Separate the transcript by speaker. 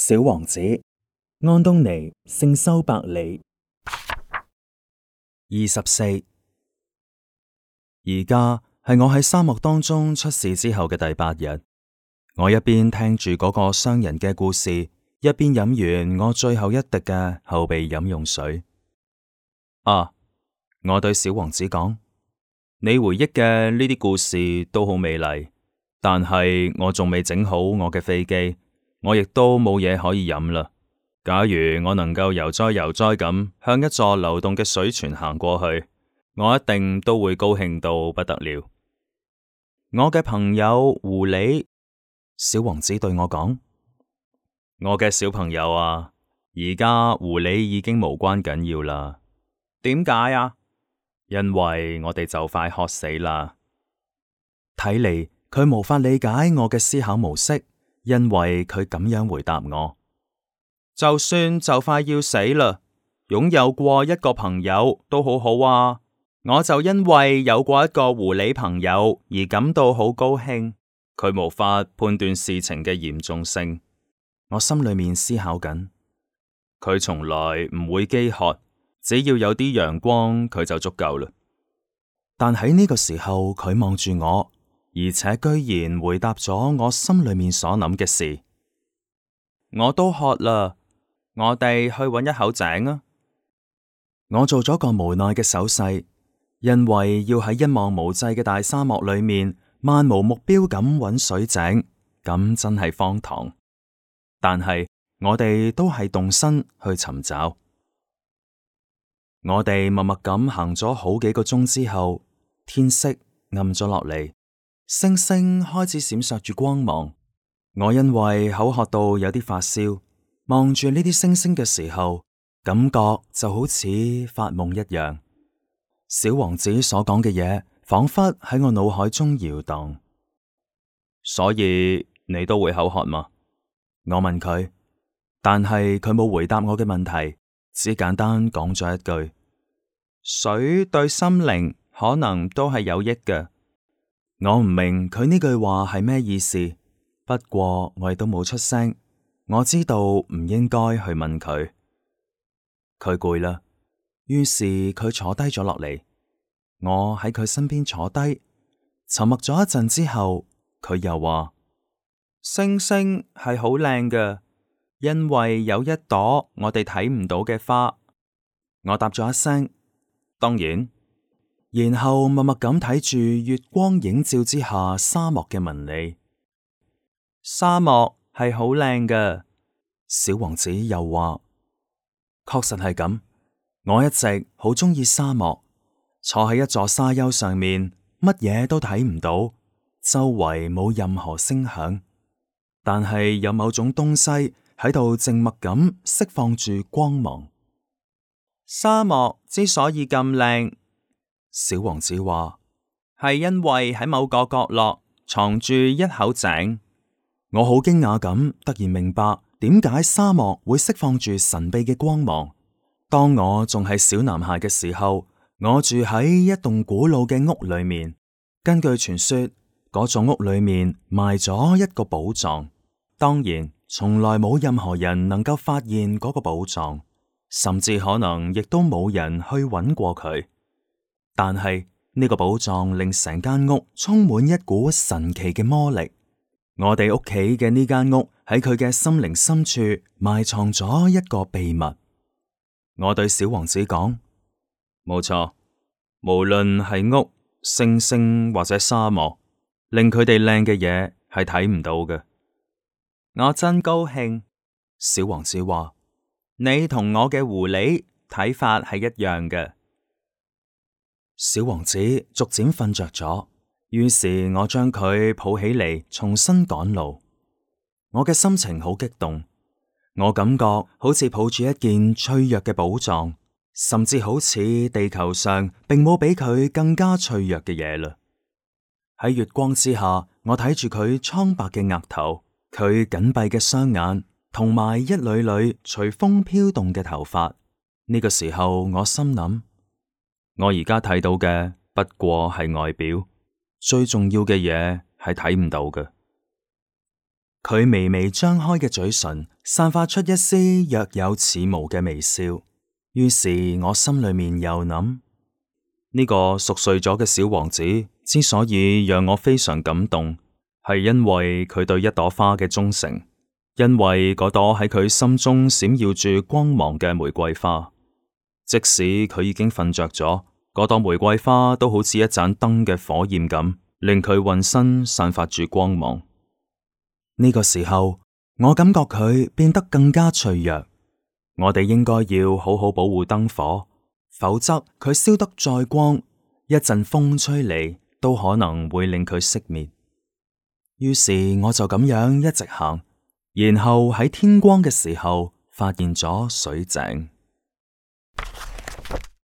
Speaker 1: 小王子，安東尼聖修伯里。24。而家係我喺沙漠當中出事之後嘅第8日，我一邊聽住嗰個商人嘅故事，一邊飲完我最後一滴嘅後備飲用水。我對小王子講：你回憶嘅呢啲故事都好美麗，但係我仲未整好我嘅飛機，我亦都冇嘢可以飲啦。假如我能夠悠哉悠哉咁向一座流動嘅水泉行過去，我一定都會高興到不得了。我嘅朋友狐狸，小王子對我講：我嘅小朋友啊，而家狐狸已經無關緊要啦。點解啊？因為我哋就快渴死啦。睇嚟佢無法理解我嘅思考模式，因為佢咁樣回答我：就算就快要死啦，擁有過一個朋友都好好啊。我就因為有過一個狐狸朋友而感到好高興。佢無法判斷事情嘅嚴重性。我心裏面思考緊，佢從來唔會飢渴，只要有啲陽光佢就足夠啦。但喺呢個時候，佢望住我，而且居然回答咗我心裏面所諗嘅事。我都渴啦，我哋去搵一口井啊！我做咗個無奈嘅手勢，因為要喺一望無際嘅大沙漠裏面漫無目標咁搵水井，咁真係荒唐。但係我哋都係動身去尋找。我哋默默咁行咗好幾個鐘之後，天色暗咗落嚟，星星開始閃爍住光芒。我因為口渴到有啲發燒，望住呢啲星星嘅時候，感覺就好似發夢一樣。小王子所講嘅嘢，仿佛喺我腦海中搖蕩。所以你都會口渴嗎？我問佢，但係佢冇回答我嘅問題，只簡單講咗一句：水對心靈可能都係有益嘅。我唔明佢呢句話係咩意思，不過我亦都冇出聲。我知道唔應該去問佢。佢攰啦，於是佢坐低咗落嚟。我喺佢身邊坐低，沉默咗一陣之後，佢又話：星星係好靚嘅，因為有一朵我哋睇唔到嘅花。我答咗一聲：當然。然後默默咁睇住月光映照之下沙漠嘅紋理。沙漠係好靚嘅，小王子又話：確實係咁，我一直好鍾意沙漠。坐喺一座沙丘上面，乜嘢都睇唔到，周圍冇任何聲響，但係有某種東西喺度靜默咁釋放住光芒。沙漠之所以咁靚，小王子話，係因為喺某個角落藏住一口井。我好驚訝咁，突然明白點解沙漠會釋放住神秘嘅光芒。當我仲係小男孩嘅時候，我住喺一棟古老嘅屋裏面。根據傳說，嗰座屋裏面埋咗一個寶藏。當然，從來冇任何人能夠發現嗰個寶藏，甚至可能亦都冇人去揾過佢。但係呢個寶藏令成間屋充滿一股神奇嘅魔力。我哋屋企嘅呢間屋喺佢嘅心靈深處埋藏咗一個秘密。我對小王子講：冇錯，無論係屋、星星或者沙漠，令佢哋靚嘅嘢係睇唔到嘅。我真高興，小王子話：你同我嘅狐狸睇法係一樣嘅。小王子逐漸瞓着咗，於是我將佢抱起嚟，重新趕路。我嘅心情好激動，我感覺好似抱住一件脆弱嘅寶藏，甚至好似地球上並冇比佢更加脆弱嘅嘢啦。喺月光之下，我睇住佢蒼白嘅額頭，佢緊閉嘅雙眼，同埋一縷縷隨風飄動嘅頭髮。呢個時候，我心諗，我而家睇到嘅不過係外表，最重要嘅嘢係睇唔到嘅。佢微微張開嘅嘴唇散發出一絲若有似無嘅微笑。於是我心裏面又諗，呢個熟睡咗嘅小王子之所以讓我非常感動，係因為佢對一朵花嘅忠誠，因為嗰朵喺佢心中閃耀住光芒嘅玫瑰花，即使佢已經瞓着咗，嗰朵玫瑰花都好似一盞燈嘅火焰咁，令佢渾身散發住光芒。呢個時候，我感覺佢變得更加脆弱。我哋應該要好好保護燈火，否則佢燒得再光，一陣風吹嚟都可能會令佢熄滅。於是我就咁樣一直行，然後喺天光嘅時候發現咗水井。